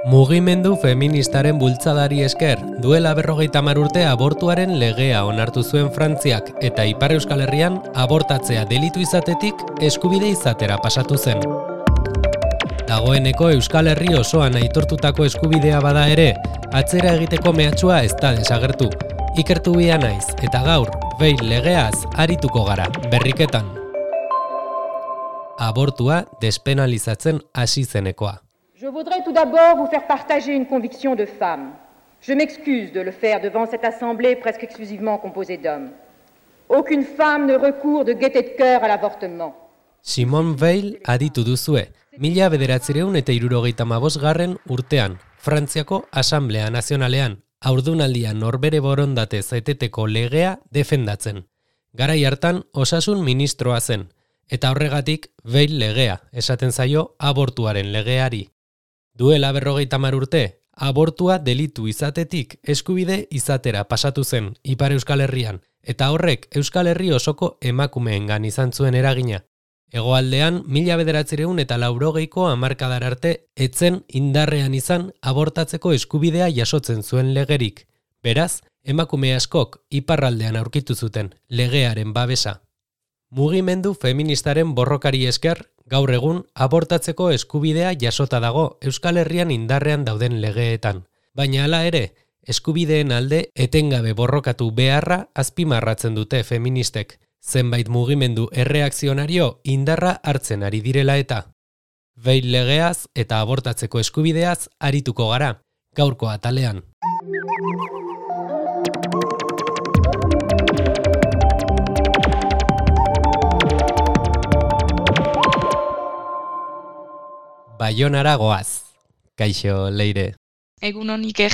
Mugimendu feministaren bultzadari esker, duela 50 urte abortuaren legea onartu zuen Frantziak eta Ipar Euskal Herrian abortatzea delitu izatetik eskubide izatera pasatu zen. Dagoeneko Euskal Herri osoan aitortutako eskubidea bada ere, atzera egiteko mehatxua ez da desagertu. Ikertu bia naiz eta gaur, behin legeaz arituko gara, berriketan. Abortua despenalizatzen hasi zenekoa. Je voudrais tout d'abord vous faire partager une conviction de femme. Je m'excuse de le faire devant cette assemblée presque exclusivement composée d'hommes. Aucune femme ne recourt de gaieté de cœur à l'avortement. Simone Veil aditu duzue, 1975 urtean, Frantziako Asamblea Nazionalean, haurdunaldian norbere borondatez eteteko legea defendatzen. Garai hartan osasun ministroa zen, eta horregatik Veil legea, esaten zaio abortuaren legeari. Duela 50 urte, abortua delitu izatetik eskubide izatera pasatu zen Ipar Euskal Herrian, eta horrek Euskal Herri osoko emakumeengan izan zuen eragina. Hegoaldean 1980ko hamarkadar arte etzen indarrean izan abortatzeko eskubidea jasotzen zuen legerik. Beraz, emakume askok iparraldean aurkitu zuten legearen babesa. Mugimendu feministaren borrokari esker, gaur egun abortatzeko eskubidea jasota dago Euskal Herrian indarrean dauden legeetan. Baina hala ere, eskubideen alde etengabe borrokatu beharra azpimarratzen dute feministek, zenbait mugimendu erreakzionario indarra hartzen ari direla eta. Veil legeaz eta abortatzeko eskubideaz arituko gara, gaurko atalean. Baionara goaz. Kaixo, Leire. Egunon Iker.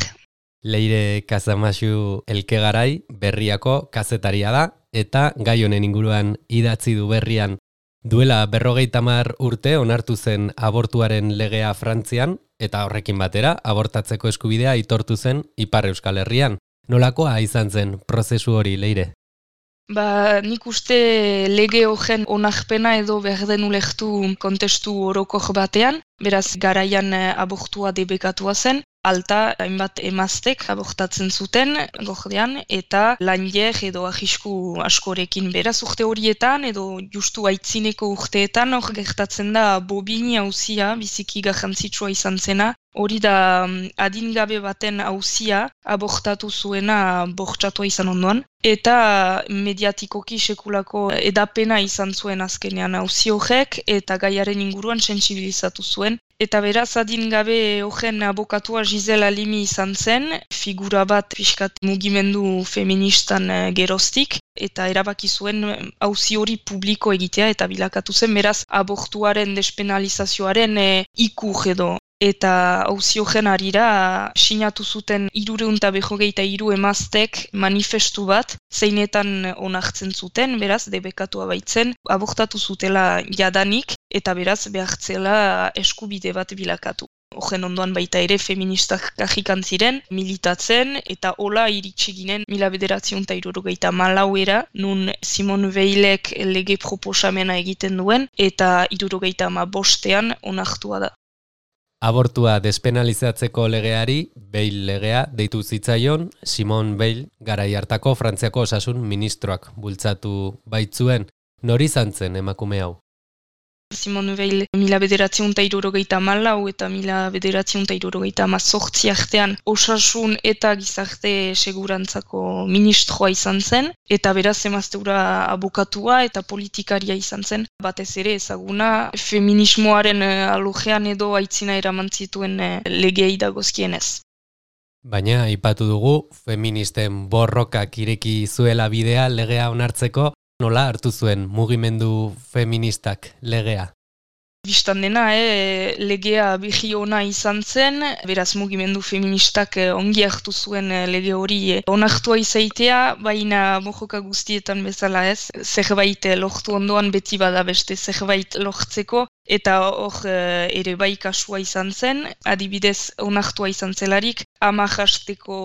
Leire Kazamaxu Elkegarai berriako kazetaria da, eta gai honen inguruan idatzi du berrian. Duela 50 urte onartu zen abortuaren legea Frantzian, eta horrekin batera abortatzeko eskubidea aitortu zen Ipar Euskal Herrian. Nolakoa izan zen prozesu hori, Leire? Nik uste lege horren onarpena edo behar den ulertu kontestu orokor batean, beraz garaian abortua debekatua zen, alta hainbat emaztek abortatzen zuten gordean eta langer edo arrisku askorekin beraz urte horietan edo justu aitzineko urteetan hor gertatzen da Bobigny auzia biziki garrantzitsua izan zena. Hori da adingabe baten auzia abortatu zuena bortxatua izan ondoan. Eta mediatikoki sekulako edapena izan zuen azkenean auzi horrek eta gaiaren inguruan sentsibilizatu zuen. Eta beraz adingabe horren abokatua Giselle Halimi izan zen, figura bat pixkat mugimendu feministan geroztik. Eta erabaki zuen auzi hori publiko egitea eta bilakatu zen beraz abortuaren despenalizazioaren ikur edo. Eta auzi horren harira sinatu zuten 353 emaztek manifestu bat, zeinetan onartzen zuten, beraz debekatua baitzen, abortatu zutela jadanik eta beraz behartzela eskubide bat bilakatu. Horren ondoan baita ere feministak kajikan ziren, militatzen eta hola iritsi ginen 1974 nun Simone Veilek lege proposamena egiten duen eta 75ean onartua da. Abortua despenalizatzeko legeari, Veil legea deitu zitzaion, Simone Veil garai hartako Frantziako osasun ministroak bultzatu baitzuen. Nori izan zen emakume hau? Simone Veil 1974 eta 1978 artean osasun eta gizarte segurantzako ministroa izan zen, eta beraz emazteura abokatua eta politikaria izan zen, batez ere ezaguna feminismoaren alojean edo aitzina eraman zituen legei dagozkienez. Baina aipatu dugu feministen borrokak ireki zuela bidea legea onartzeko, nola hartu zuen mugimendu feministak legea? Bistan dena, legea bihi ona izan zen, beraz mugimendu feministak ongi hartu zuen lege hori onartua izaitea, baina mojoka guztietan bezala ez, zerbait lortu ondoan beti bada beste zerbait lortzeko, Eta hor ere bai kasua izan zen, adibidez onartua izan zelarik, 10 hasteko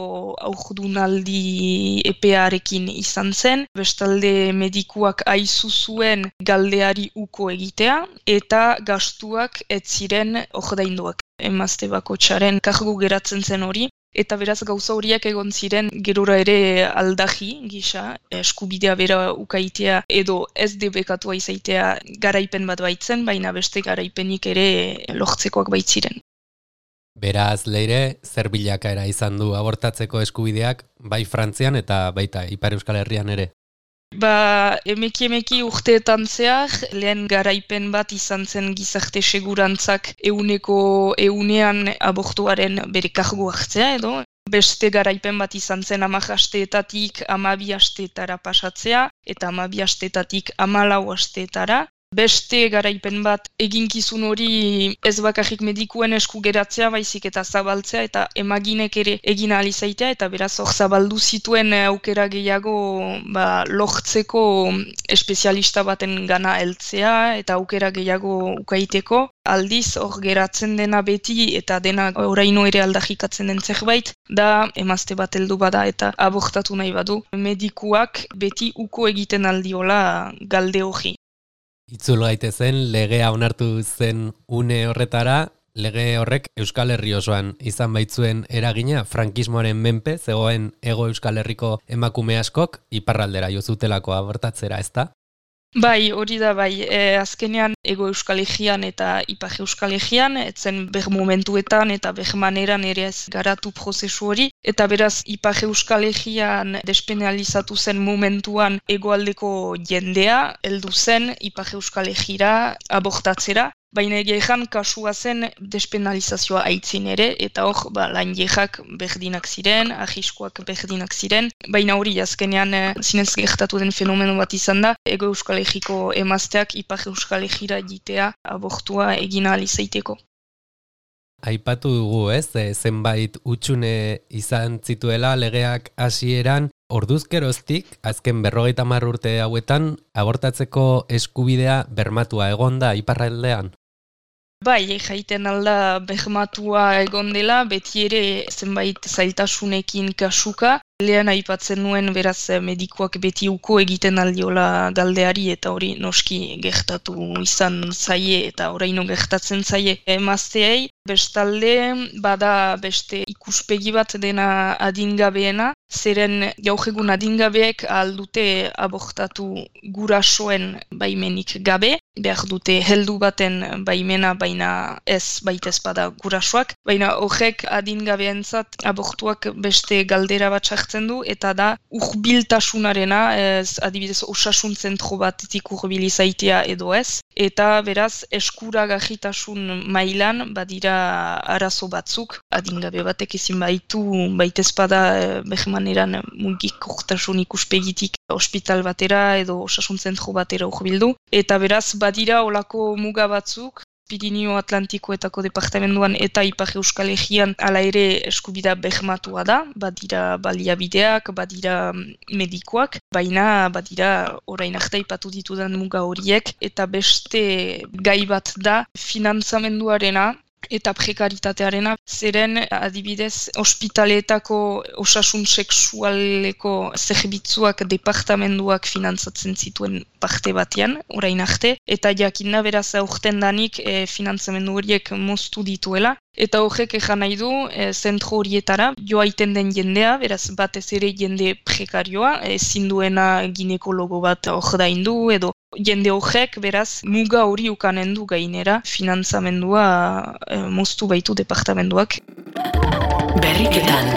haurdunaldi epearekin izan zen, bestalde medikuak aizu zuen galdeari uko egitea, eta gastuak ez ziren ordainduak. Emazte bakotxaren kargu geratzen zen hori, eta beraz gauza horiak egon ziren gerora ere aldaji gisa, eskubidea bera ukaitea edo ez debekatua izaitea garaipen bat baitzen, baina beste garaipenik ere lortzekoak baitziren. Beraz, Leire, zer bilakaera izan du abortatzeko eskubideak, bai Frantzian eta baita Ipar Euskal Herrian ere? Emeki urteetan zehar, lehen garaipen bat izan zen gizarte segurantzak 100% abortuaren bere kargu hartzea edo. Beste garaipen bat izan zen 10 asteetatik 12 asteetara pasatzea eta 12 asteetatik 14 asteetara. Beste garaipen bat eginkizun hori ez bakarrik medikuen esku geratzea, baizik eta zabaltzea eta emaginek ere egin ahal izaitea eta beraz hor zabaldu zituen aukera gehiago lortzeko espezialista baten gana heltzea eta aukera gehiago ukaiteko. Aldiz hor geratzen dena beti eta dena oraino ere aldarrikatzen den zerbait, da emazte bat heldu bada eta abortatu nahi badu. Medikuak beti uko egiten aldiola galde hori. Itzul gaitezen, legea onartu zen une horretara, lege horrek Euskal Herri osoan izan baitzuen eragina, frankismoaren menpe, zegoen Hego Euskal Herriko emakume askok, iparraldera jo zutelako abortatzera, ezta? Bai, hori da bai, azkenean Hego Euskal Herrian eta Ipar Euskal Herrian, etzen ber momentuetan eta ber maneran ere ez garatu prozesu hori, eta beraz Ipar Euskal Herrian despenalizatu zen momentuan hegoaldeko jendea, heldu zen Ipar Euskal Herrira abortatzera, baina egean kasua zen despenalizazioa aitzin ere, eta hor lan jehak berdinak ziren, ahiskoak berdinak ziren, baina hori azkenean zinez gertatu den fenomeno bat izan da, Hego Euskal Herriko emazteak Ipar Euskal Herrira egitea abortua egin ahal izaiteko. Aipatu dugu, ez? Zenbait hutsune izan zituela legeak hasieran, orduzkeroztik, azken 50 urte hauetan, abortatzeko eskubidea bermatua egon da iparraldean? Bai, jaiten alda bermatua egon dela, beti ere zenbait zailtasunekin kasuka. Lehen aipatzen nuen beraz medikuak beti uko egiten aldiola galdeari eta hori noski gertatu izan zaie eta oraino gertatzen zaie emazteei. Bestalde, bada beste ikuspegi bat dena adingabeena, zeren gaur egun adingabeek aldute abortatu gurasoen baimenik gabe, behar dute heldu baten baimena baina ez baitez bada gurasoak, baina horrek adingabeentzat abortuak beste galdera bat sartzen du eta da urbiltasunarena, adibidez osasun zentro batetik urbil izaitea edo ez, eta beraz eskuragarritasun mailan badira arazo batzuk, adingabe batek ezin baitu baitez bada behemaneran mugikortasun ikuspegitik ospital batera edo osasun zentro batera urbildu, eta beraz badira olako muga batzuk, Pirinio Atlantikoetako departamentuan eta Ipar Euskal Herrian hala ere eskubida bermatua da, badira baliabideak, badira medikoak, baina badira orain arte aipatu ditudan muga horiek, eta beste gai bat da finantzamenduarena, eta prekaritatearena, zeren adibidez ospitaleetako osasun sexualeko zerbitzuak departamenduak finantzatzen zituen parte batean, orain arte, eta jakinda beraz aurten danik finantzamendu horiek moztu dituela, eta horrek ejan nahi du zentro horietara joaiten den jendea, beraz batez ere jende prekarioa, ezin duena ginekologo bat ordaindu edo jende horrek beraz muga hori ukanen du gainera finantzamendua moztu baitu departamentuak. Berriketan.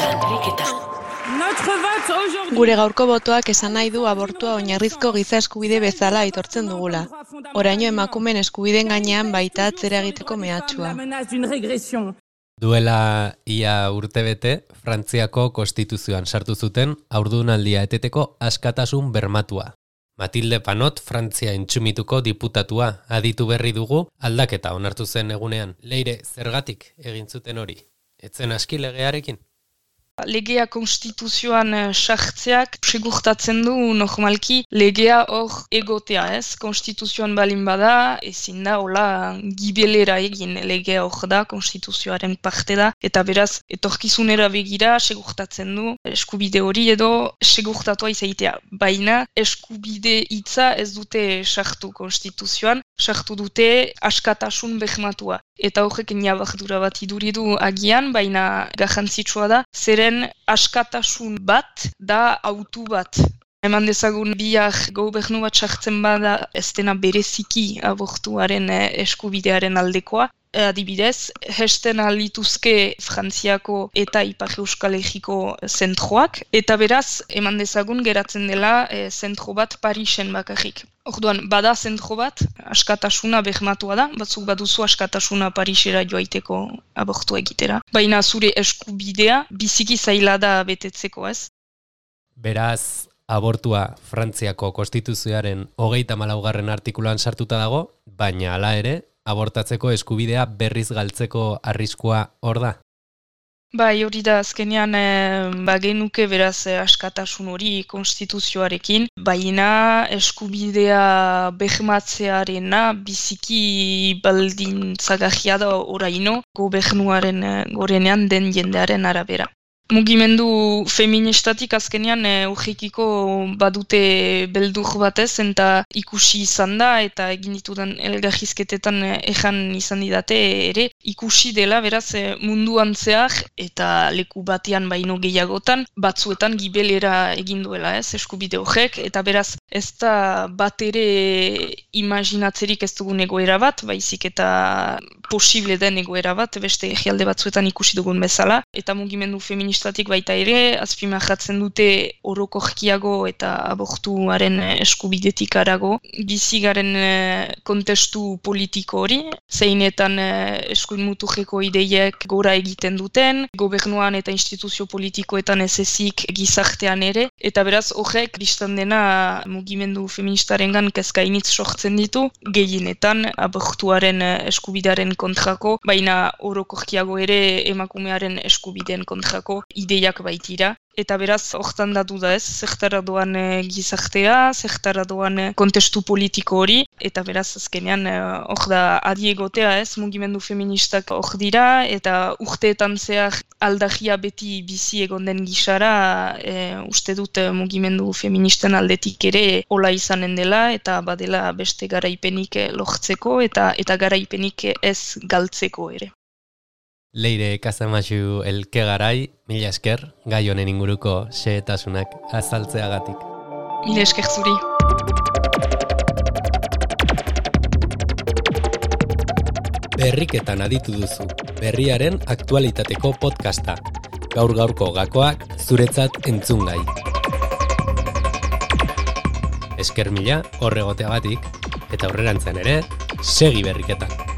Gure gaurko botoak esan nahi du abortua oinarrizko giza eskubide bezala aitortzen dugula. Oraino emakumeen eskubideen gainean baita atzera egiteko mehatxua. Duela ia urtebete, Frantziako konstituzioan sartu zuten haurdunaldia eteteko askatasun bermatua. Matilde Panot, Frantzia intxumituko diputatua, aditu berri dugu, aldaketa onartu zen egunean. Leire, zergatik egin zuten hori? Etzen aski legearekin? Legea konstituzioan sartzeak segurtatzen du normalki legea hor egotea, ez? Konstituzioan balin bada, ezin da, hola, gibelera egin legea hor da, konstituzioaren parte da, eta beraz, etorkizunera begira segurtatzen du eskubide hori edo segurtatua izaitea. Baina, eskubide hitza ez dute sartu konstituzioan, sartu dute askatasun bermatua. Eta horrek ñabardura bat iduri du agian, baina garrantzitsua da, zeren askatasun bat da autu bat. Eman dezagun biak gobernu bat sartzen bada ez dena bereziki abortuaren eskubidearen aldekoa. Adibidez, hesten alituzke Frantziako eta Ipar Euskal Herriko zentroak, eta beraz, eman dezagun geratzen dela zentro bat Parisen bakarrik. Orduan, bada zentro bat, askatasuna bermatua da, batzuk baduzu askatasuna Parisera joaiteko abortua egitera. Baina zure eskubidea biziki zaila da betetzeko, ez? Beraz, abortua Frantziako konstituzioaren 34. artikuluan sartuta dago, baina hala ere, abortatzeko eskubidea berriz galtzeko arriskua hor da? Bai, hori da azkenean bagenuke beraz askatasun hori konstituzioarekin, baina eskubidea bermatzearena biziki baldintzagarria da oraino gobernuaren gorenean den jendearen arabera. Mugimendu feministatik azkenean urrikiko badute beldur batez eta ikusi izan da eta egin ditudan elgarrizketetan ejan izan didate ere ikusi dela beraz munduan zehar eta leku batean baino gehiagotan batzuetan gibelera egin duela eskubide horrek eta beraz ez da bat ere imaginatzerik ez dugun egoera bat, baizik eta posible den egoera bat, beste herrialde batzuetan ikusi dugun bezala eta mugimendu feministatik baita ere, azpimarratzen dute orokorkiago eta abortuaren eskubidetik arago. Bizigaren kontestu politiko hori, zeinetan eskuin muturreko ideiek gora egiten duten, gobernuan eta instituzio politikoetan ez ezik gizartean ere, eta beraz horrek bistan dena mugimendu feministarengan kezkainitz sortzen ditu, gehienetan abortuaren eskubidearen kontrako, baina orokorkiago ere emakumearen eskubideen kontrako ideiak baitira. Eta beraz, hortan da duda ez, zertara doan gizartea, zertara doan kontestu politiko hori, eta beraz, azkenean, hor da adiegotea ez, mugimendu feministak hor dira, eta urteetan zehar aldagia beti bizi egon den gisara, uste dut mugimendu feministen aldetik ere hola izanen dela, eta badela beste garaipenik lortzeko, eta garaipenik ez galtzeko ere. Leire Kasamaxu Elkegarai, mila esker, gai honen inguruko xehetasunak azaltzeagatik. Mila esker zuri. Berriketan aditu duzu, berriaren aktualitateko podcasta. Gaur-gaurko gakoak zuretzat entzungai. Esker mila horregoteagatik, eta aurrerantzean ere, segi berriketan.